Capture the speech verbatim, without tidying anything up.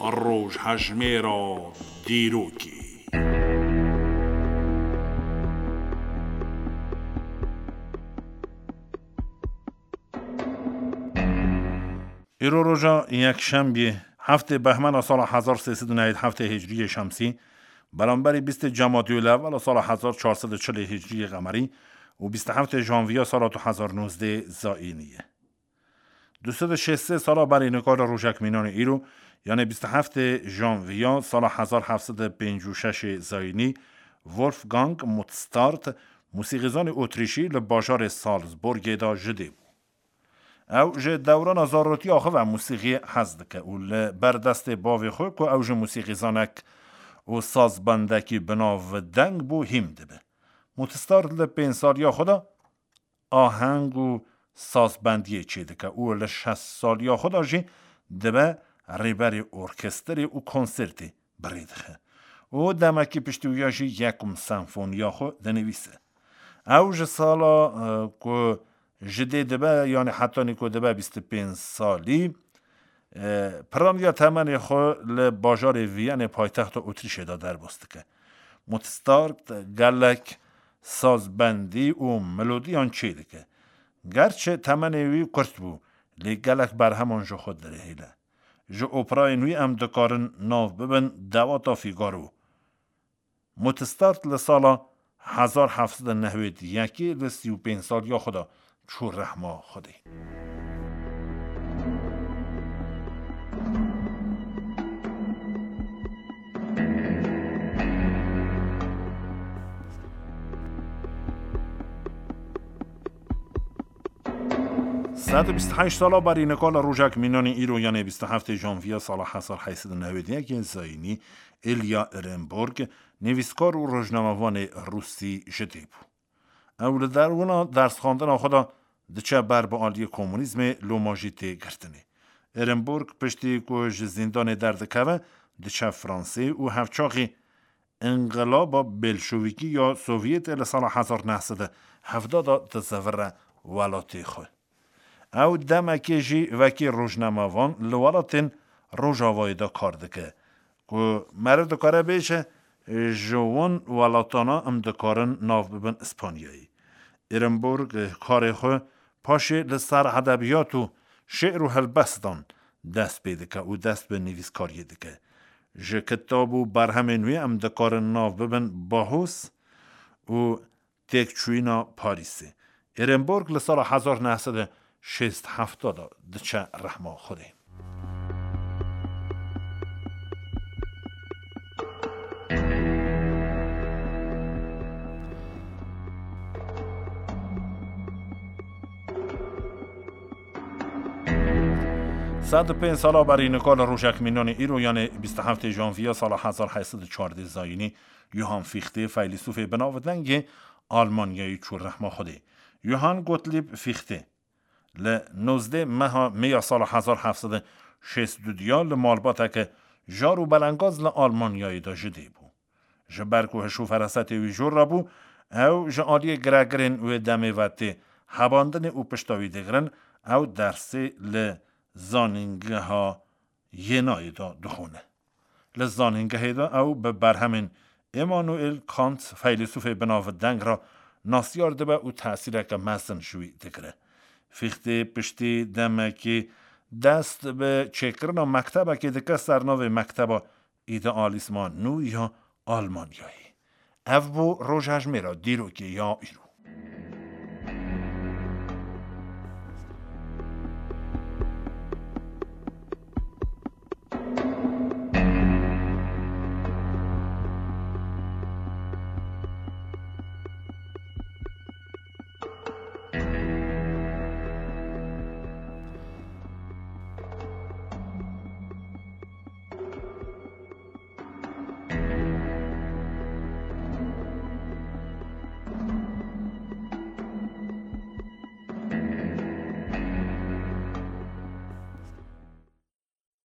Rojhejmêra dîrokê. Îro roja yekşembiyê, heftê behmena sala hezar sê sed û newêd heftê hicriyê şemsî, beramberî bîstê cemadiyulewela sala hezar çar sed û çilê hicriyê qemerî û bîst û heftê janviya sala du hezar nozdeh zayînî ye. Du sed û şêst sê sala berî nika li rojek mînanê îro, yanê bîst û heftê janviya sala hezar heft sed û pêncî û şeş zayînî, Wolfgang Mozart, musîqîzanê Otrîşî, li bajarê Salzburgê de ji dê bû. Ew ji dewrana zarotiya xwe ve musîqiyê hez dike û li ber destê bavê xwe, ku ew jî musîqîzanek û sazbendekî bi nav deng bû, hîm dibe. Mozart li pênc saliya xwe de aheng û sazbendiyê çêdike û li şeş saliya xwe de jî dibe rêberê orkestrê û konsertê bi rê dixe. Û demekî piştî wî ya jî yekum senfoniya xwe dinivîse. Ew ji sala, e, ku ji dê dibe, yanî hetanî ku dibe bîst û pênc salî, e, piraniya temenê xwe li bajarê Viyanê paytexta Otrîşê de derbas dike. Mozart gelek sazbendî û melodiyan çêdike. Gerçi temenê wî kurt bû, lê gelek berheman ji xwe dirihêle. Ji operayên wî em dikarin nav bibin dewata Fîgaro. Mozart li sala hezar heft sed û newêd yekê li sî û pênc saliya xwe de çû rehma Xwedê. Sed û bîst û heşt sala berî nika li rojek mînanê îro, yanê bîst û heftê janviya sala hezar heyt sed û newêd yekê zayînî, Ilya Ehrenburg, nivîskar û rojnamevanê rûsî ji dê bû. Ew li derwina dersxwendina xwe de diçe ber bi aliyê komunîzmê, loma jî tê girtinê. Ehrenburg piştî ku ji zîndanê derdikeve, diçe Fransê û hevçaxî înqilaba Belşewîkî ya Sovyetê li sala hezar neh sed û hevdeh de dizivire welatê xwe. Ew demekê jî wekî rojnamevan li welatên Rojavayê de kar dike, ku meriv dikare bêje, ji wan welatana em dikarin nav bibin Îspanyayê. Ehrenburg karê xwe paşê li ser edebiyat û şi'r û helbestan dest pê dike û dest bi nivîskariyê dike. Ji kitab û berhemên wî em dikarin nav bibin Bahûs û Têkçûyîna Parîsê. Ehrenburg li sala hezar neh sed û şêst heft de diçe rehma Xwedê. Sed û pênc sala berî nika li rojek mînanê îro, yanê bîst û heftê janviya sala hezar heyt sed û çardeh zayînî, Johann Fichte, feylesûfê binavdengê Almanyayê çû rehma Xwedê. Johann Gottlieb Fichte li nozdeh meha meya sala hezar heft sed û şêst û du ya li malbateke jar û belengaz li Almanyayê de ji dê bû. Ji ber ku hiş û ferasetê wî jor re bû, ew ji aliyê giregirên wê demê ve tê hebandinê û pişta wî digirin, ew dersê li zanîngeha Yenayê de dixwîne. Li zanîngehê de ew bi berhemên Immanuel Kant, feylesûfê binavdeng re nasiyar dibe û tesîreke mezin ji wî digire. Fichte piştî demekê dest bi çêkirina mektebekê dike ser navê Mekteba Îdealîsma Nû ya Almanyayê. Ev bû rojhejmêra dîrokê ya îro.